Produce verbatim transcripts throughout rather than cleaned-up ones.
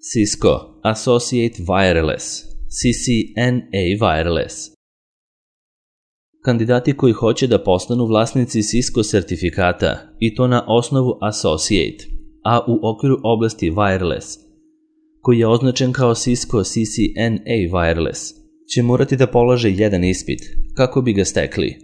Cisco Associate Wireless, C C N A Wireless. Kandidati koji hoće da postanu vlasnici Cisco sertifikata, i to na osnovu Associate, a u okviru oblasti Wireless, koji je označen kao Cisco C C N A Wireless, će morati da polože jedan ispit kako bi ga stekli,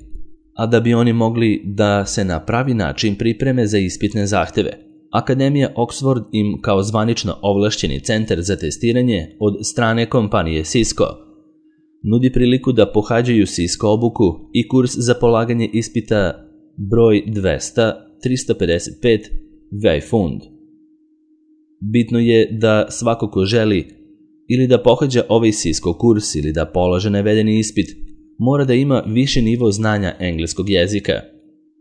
a da bi oni mogli da se na pravi način pripreme za ispitne zahteve. Akademija Oxford im kao zvanično ovlašćeni centar za testiranje od strane kompanije Cisco nudi priliku da pohađaju Cisco obuku i kurs za polaganje ispita broj dvesta trista pedeset pet Weifund. Bitno je da svako ko želi ili da pohađa ovaj Cisco kurs ili da polaže navedeni ispit mora da ima viši nivo znanja engleskog jezika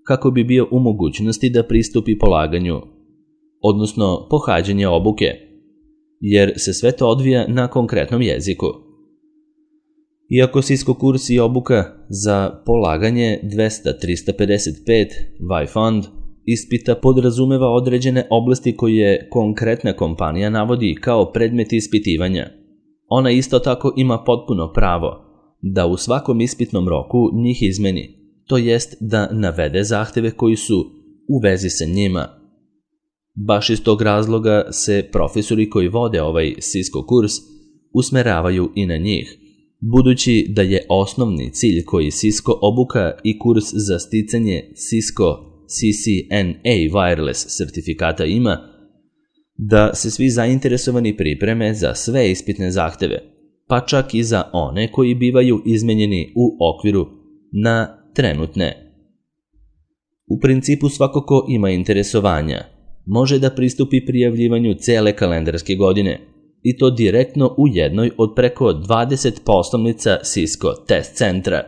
kako bi bio u mogućnosti da pristupi polaganju, odnosno pohađanje obuke, jer se sve to odvija na konkretnom jeziku. Iako Cisco kurs i obuka za polaganje dvesta trista pedeset pet Weifund ispita podrazumeva određene oblasti koje konkretna kompanija navodi kao predmet ispitivanja, ona isto tako ima potpuno pravo da u svakom ispitnom roku njih izmeni, to jest da navede zahteve koji su u vezi sa njima. Baš iz tog razloga se profesori koji vode ovaj Cisco kurs usmeravaju i na njih, budući da je osnovni cilj koji Cisco obuka i kurs za sticanje Cisco C C N A Wireless sertifikata ima, da se svi zainteresovani pripreme za sve ispitne zahteve, pa čak i za one koji bivaju izmenjeni u okviru na trenutne. U principu svako ko ima interesovanja može da pristupi prijavljivanju cele kalendarske godine, i to direktno u jednoj od preko dvadeset poslovnica Cisco test centra,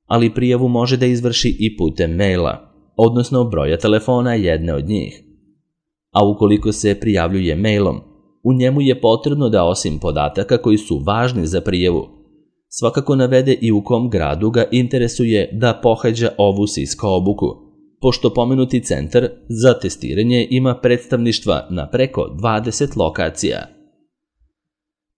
ali prijavu može da izvrši i putem maila, odnosno broja telefona jedne od njih. A ukoliko se prijavljuje mailom, u njemu je potrebno da osim podataka koji su važni za prijavu, svakako navede i u kom gradu ga interesuje da pohađa ovu Cisco obuku, pošto pomenuti centar za testiranje ima predstavništva na preko dvadeset lokacija.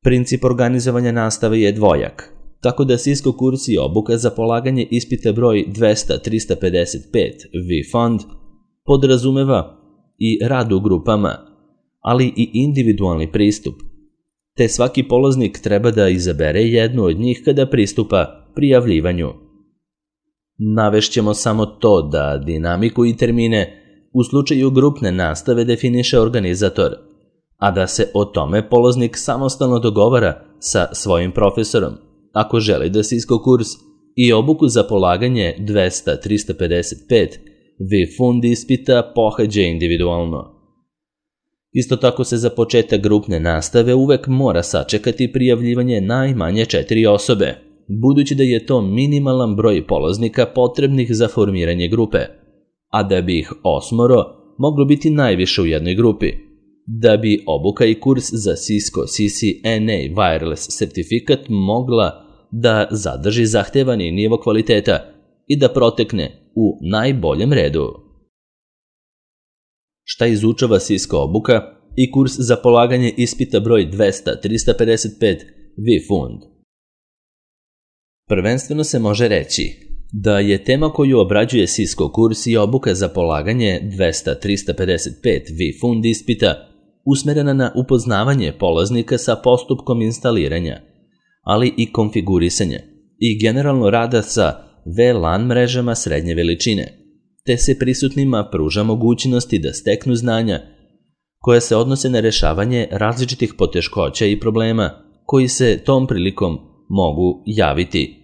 Princip organizovanja nastave je dvojak, tako da Cisco kurs i obuka za polaganje ispita broj dvesta trista pedeset pet Weifund podrazumeva i rad u grupama, ali i individualni pristup, te svaki polaznik treba da izabere jednu od njih kada pristupa prijavljivanju. Navešćemo samo to da dinamiku i termine u slučaju grupne nastave definiše organizator, a da se o tome polaznik samostalno dogovara sa svojim profesorom, ako želi da Cisco kurs i obuku za polaganje dvesta trista pedeset pet Weifund ispita pohađa individualno. Isto tako se za početak grupne nastave uvek mora sačekati prijavljivanje najmanje četiri osobe, budući da je to minimalan broj polaznika potrebnih za formiranje grupe, a da bi ih osmoro moglo biti najviše u jednoj grupi, da bi obuka i kurs za Cisco C C N A Wireless sertifikat mogla da zadrži zahtevani nivo kvaliteta i da protekne u najboljem redu. Šta izučava Cisco obuka i kurs za polaganje ispita broj dvesta trista pedeset pet Weifund? Prvenstveno se može reći da je tema koju obrađuje Cisco kurs i obuka za polaganje dvesta trista pedeset pet Weifund ispita usmerena na upoznavanje polaznika sa postupkom instaliranja, ali i konfigurisanja i generalno rada sa V LAN mrežama srednje veličine, te se prisutnima pruža mogućnosti da steknu znanja koja se odnose na rešavanje različitih poteškoća i problema koji se tom prilikom mogu javiti.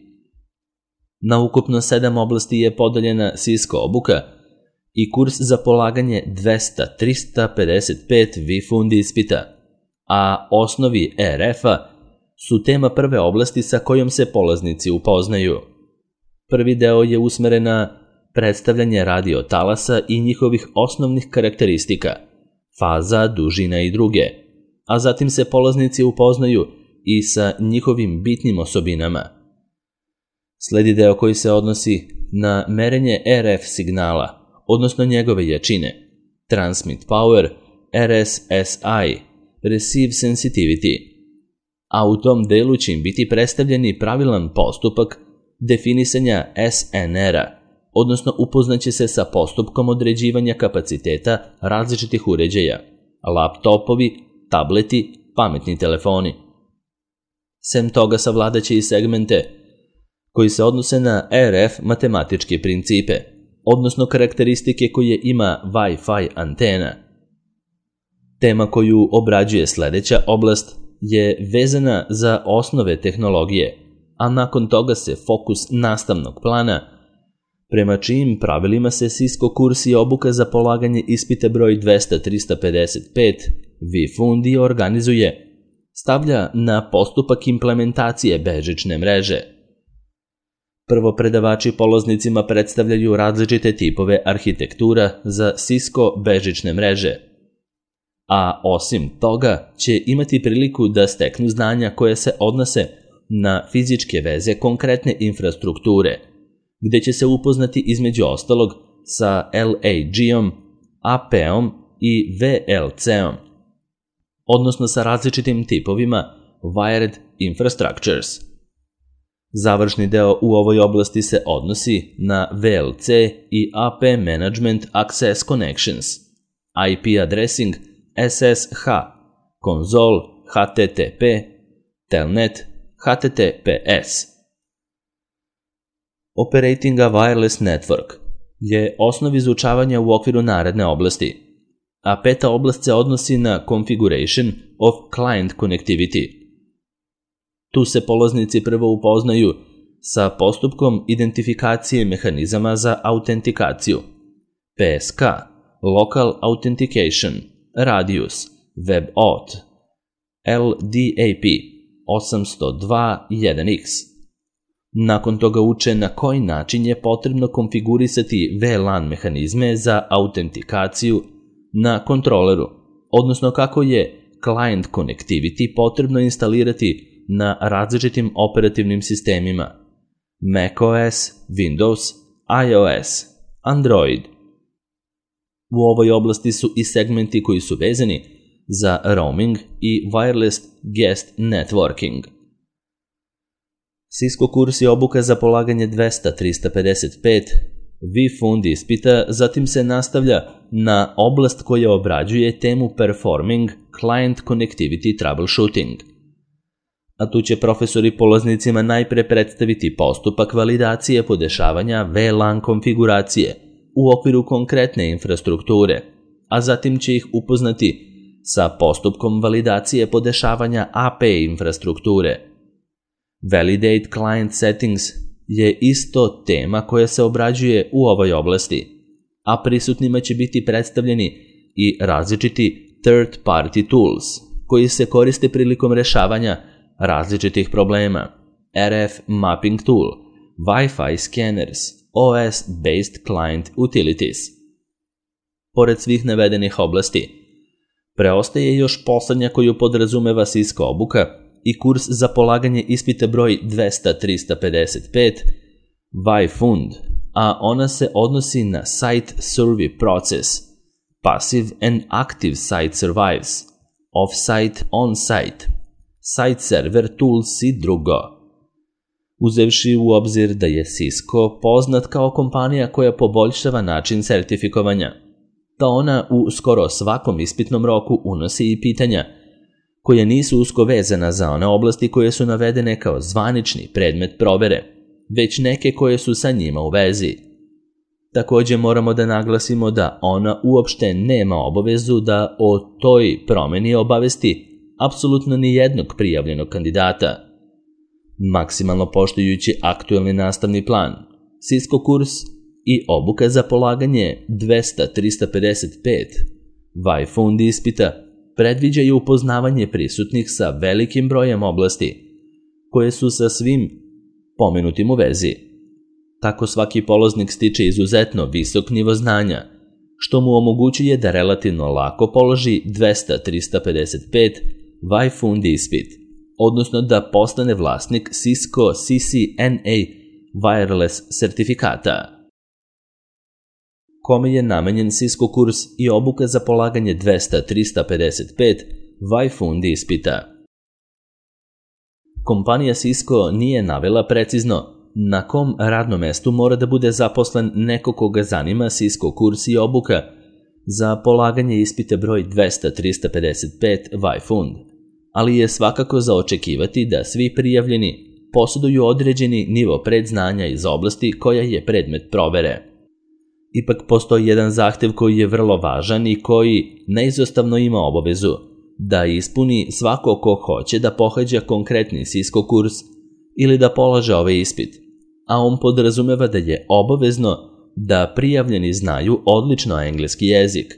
Na ukupno sedam oblasti je podeljena Cisco obuka i kurs za polaganje dvesta trista pedeset pet Weifund ispita, a osnovi R F-a su tema prve oblasti sa kojom se polaznici upoznaju. Prvi deo je usmeren na predstavljanje radio talasa i njihovih osnovnih karakteristika, faza, dužina i druge, a zatim se polaznici upoznaju i sa njihovim bitnim osobinama. Sledi deo koji se odnosi na merenje R F signala, odnosno njegove jačine, transmit power, R S S I, Receive Sensitivity, a u tom delu će im biti predstavljeni pravilan postupak definisanja S N R-a, odnosno upoznaće se sa postupkom određivanja kapaciteta različitih uređaja, laptopovi, tableti, pametni telefoni. Sem toga savladaće i segmente koji se odnose na R F matematičke principe, odnosno karakteristike koje ima Wi-Fi antena. Tema koju obrađuje sledeća oblast je vezana za osnove tehnologije, a nakon toga se fokus nastavnog plana, prema čijim pravilima se Cisco kurs i obuka za polaganje ispita broj dvesta trista pedeset pet ViFundi organizuje, stavlja na postupak implementacije bežične mreže. Prvo predavači polaznicima predstavljaju različite tipove arhitektura za Cisco bežične mreže, a osim toga će imati priliku da steknu znanja koje se odnose na fizičke veze konkretne infrastrukture, gde će se upoznati između ostalog sa L A G-om, A P-om i V L C-om, odnosno sa različitim tipovima Wired Infrastructures. Završni deo u ovoj oblasti se odnosi na V L C i A P Management Access Connections, I P Addressing, S S H, Console, H T T P, Telnet, H T T P S. Operating a Wireless Network je osnov izučavanja u okviru naredne oblasti, a peta oblast se odnosi na Configuration of Client Connectivity. Tu se polaznici prvo upoznaju sa postupkom identifikacije mehanizama za autentikaciju, P S K, Local Authentication, Radius, WebAuth, L D A P osamsto dva jedan X. Nakon toga uče na koji način je potrebno konfigurisati V LAN mehanizme za autentikaciju na kontroleru, odnosno kako je client connectivity potrebno instalirati na različitim operativnim sistemima macOS, Windows, iOS, Android. U ovoj oblasti su i segmenti koji su vezani za roaming i wireless guest networking. Cisco kurs i obuka za polaganje dvesta trista pedeset pet ViFundi ispita zatim se nastavlja na oblast koja obrađuje temu Performing Client Connectivity Troubleshooting. A tu će profesori polaznicima najpre predstaviti postupak validacije podešavanja V LAN konfiguracije u okviru konkretne infrastrukture, a zatim će ih upoznati sa postupkom validacije podešavanja A P infrastrukture. Validate Client Settings je isto tema koja se obrađuje u ovoj oblasti, a prisutnima će biti predstavljeni i različiti third-party tools koji se koriste prilikom rešavanja različitih problema, R F Mapping Tool, Wi-Fi Scanners, O S-based Client Utilities. Pored svih navedenih oblasti, preostaje još poslednja koju podrazumeva Cisco obuka i kurs za polaganje ispita broj dvesta trista pedeset pet ViFund, a ona se odnosi na Site Survey Process, Passive and Active Site Survives, Off-Site, On-Site, Site Server Tools i drugo. Uzevši u obzir da je Cisco poznat kao kompanija koja poboljšava način sertifikovanja, da ona u skoro svakom ispitnom roku unosi i pitanja koja nisu usko vezana za one oblasti koje su navedene kao zvanični predmet provere, već neke koje su sa njima u vezi. Takođe moramo da naglasimo da ona uopšte nema obavezu da o toj promeni obavesti apsolutno ni jednog prijavljenog kandidata. Maksimalno poštujući aktuelni nastavni plan, Cisco kurs i obuka za polaganje dvesta trista pedeset pet ViFundi ispita predviđaju upoznavanje prisutnih sa velikim brojem oblasti, koje su sa svim pomenutim u vezi. Tako svaki polaznik stiče izuzetno visok nivo znanja, što mu omogućuje da relativno lako položi dvesta trista pedeset pet ViFundi ispit, odnosno da postane vlasnik Cisco C C N A Wireless sertifikata. Kome je namenjen Cisco kurs i obuka za polaganje dvesta trista pedeset pet Vaifund ispita. Kompanija Cisco nije navela precizno na kom radnom mestu mora da bude zaposlen neko koga zanima Cisco kurs i obuka za polaganje ispita broj dvesta trista pedeset pet Vaifund, ali je svakako za očekivati da svi prijavljeni posjeduju određeni nivo predznanja iz oblasti koja je predmet provere. Ipak postoji jedan zahtev koji je vrlo važan i koji neizostavno ima obavezu da ispuni svako ko hoće da pohađa konkretni Cisco kurs ili da polaže ovaj ispit, a on podrazumeva da je obavezno da prijavljeni znaju odlično engleski jezik,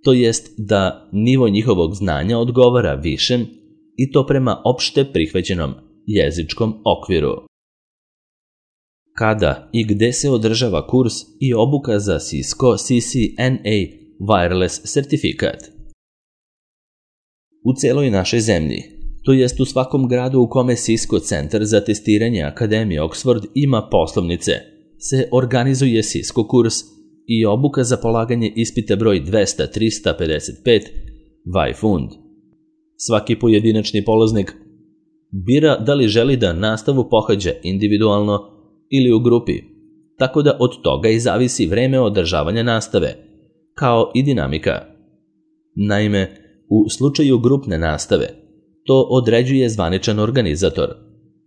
to jest da nivo njihovog znanja odgovara višem i to prema opšte prihvaćenom jezičkom okviru. Kada i gde se održava kurs i obuka za Cisco C C N A Wireless sertifikat? U celoj našoj zemlji, to jest u svakom gradu u kome Cisco centar za testiranje Akademije Oxford ima poslovnice, se organizuje Cisco kurs i obuka za polaganje ispita broj dvesta trista pedeset pet Vaifund. Svaki pojedinačni polaznik bira da li želi da nastavu pohađa individualno ili u grupi, tako da od toga i zavisi vreme održavanja nastave, kao i dinamika. Naime, u slučaju grupne nastave, to određuje zvaničan organizator,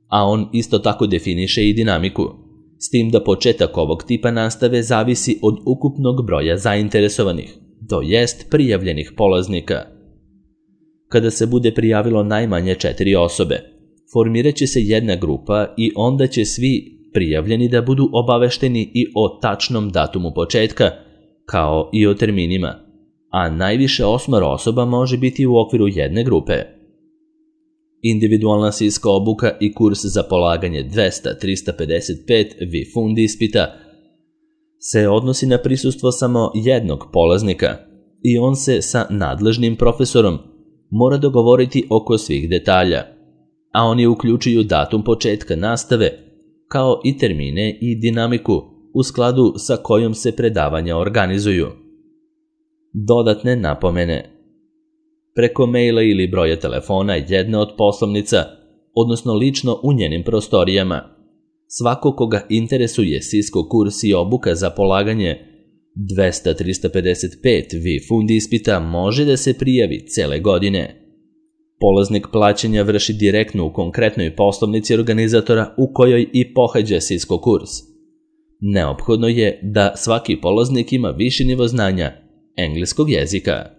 a on isto tako definiše i dinamiku, s tim da početak ovog tipa nastave zavisi od ukupnog broja zainteresovanih, to jest prijavljenih polaznika. Kada se bude prijavilo najmanje četiri osobe, formirat će se jedna grupa i onda će svi prijavljeni da budu obavešteni i o tačnom datumu početka, kao i o terminima, a najviše osmoro osoba može biti u okviru jedne grupe. Individualna Cisco obuka i kurs za polaganje dvesta trista pedeset pet Vaifund ispita se odnosi na prisustvo samo jednog polaznika i on se sa nadležnim profesorom mora dogovoriti oko svih detalja, a oni uključuju datum početka nastave, kao i termine i dinamiku u skladu sa kojom se predavanja organizuju. Dodatne napomene. Preko maila ili broja telefona jedne od poslovnica, odnosno lično u njenim prostorijama. Svako koga interesuje Cisco kurs i obuka za polaganje dvesta trista pedeset pet Vaifund ispita može da se prijavi cele godine. Polaznik plaćanja vrši direktno u konkretnoj poslovnici organizatora u kojoj i pohađa Cisco kurs. Neophodno je da svaki polaznik ima viši nivo znanja engleskog jezika.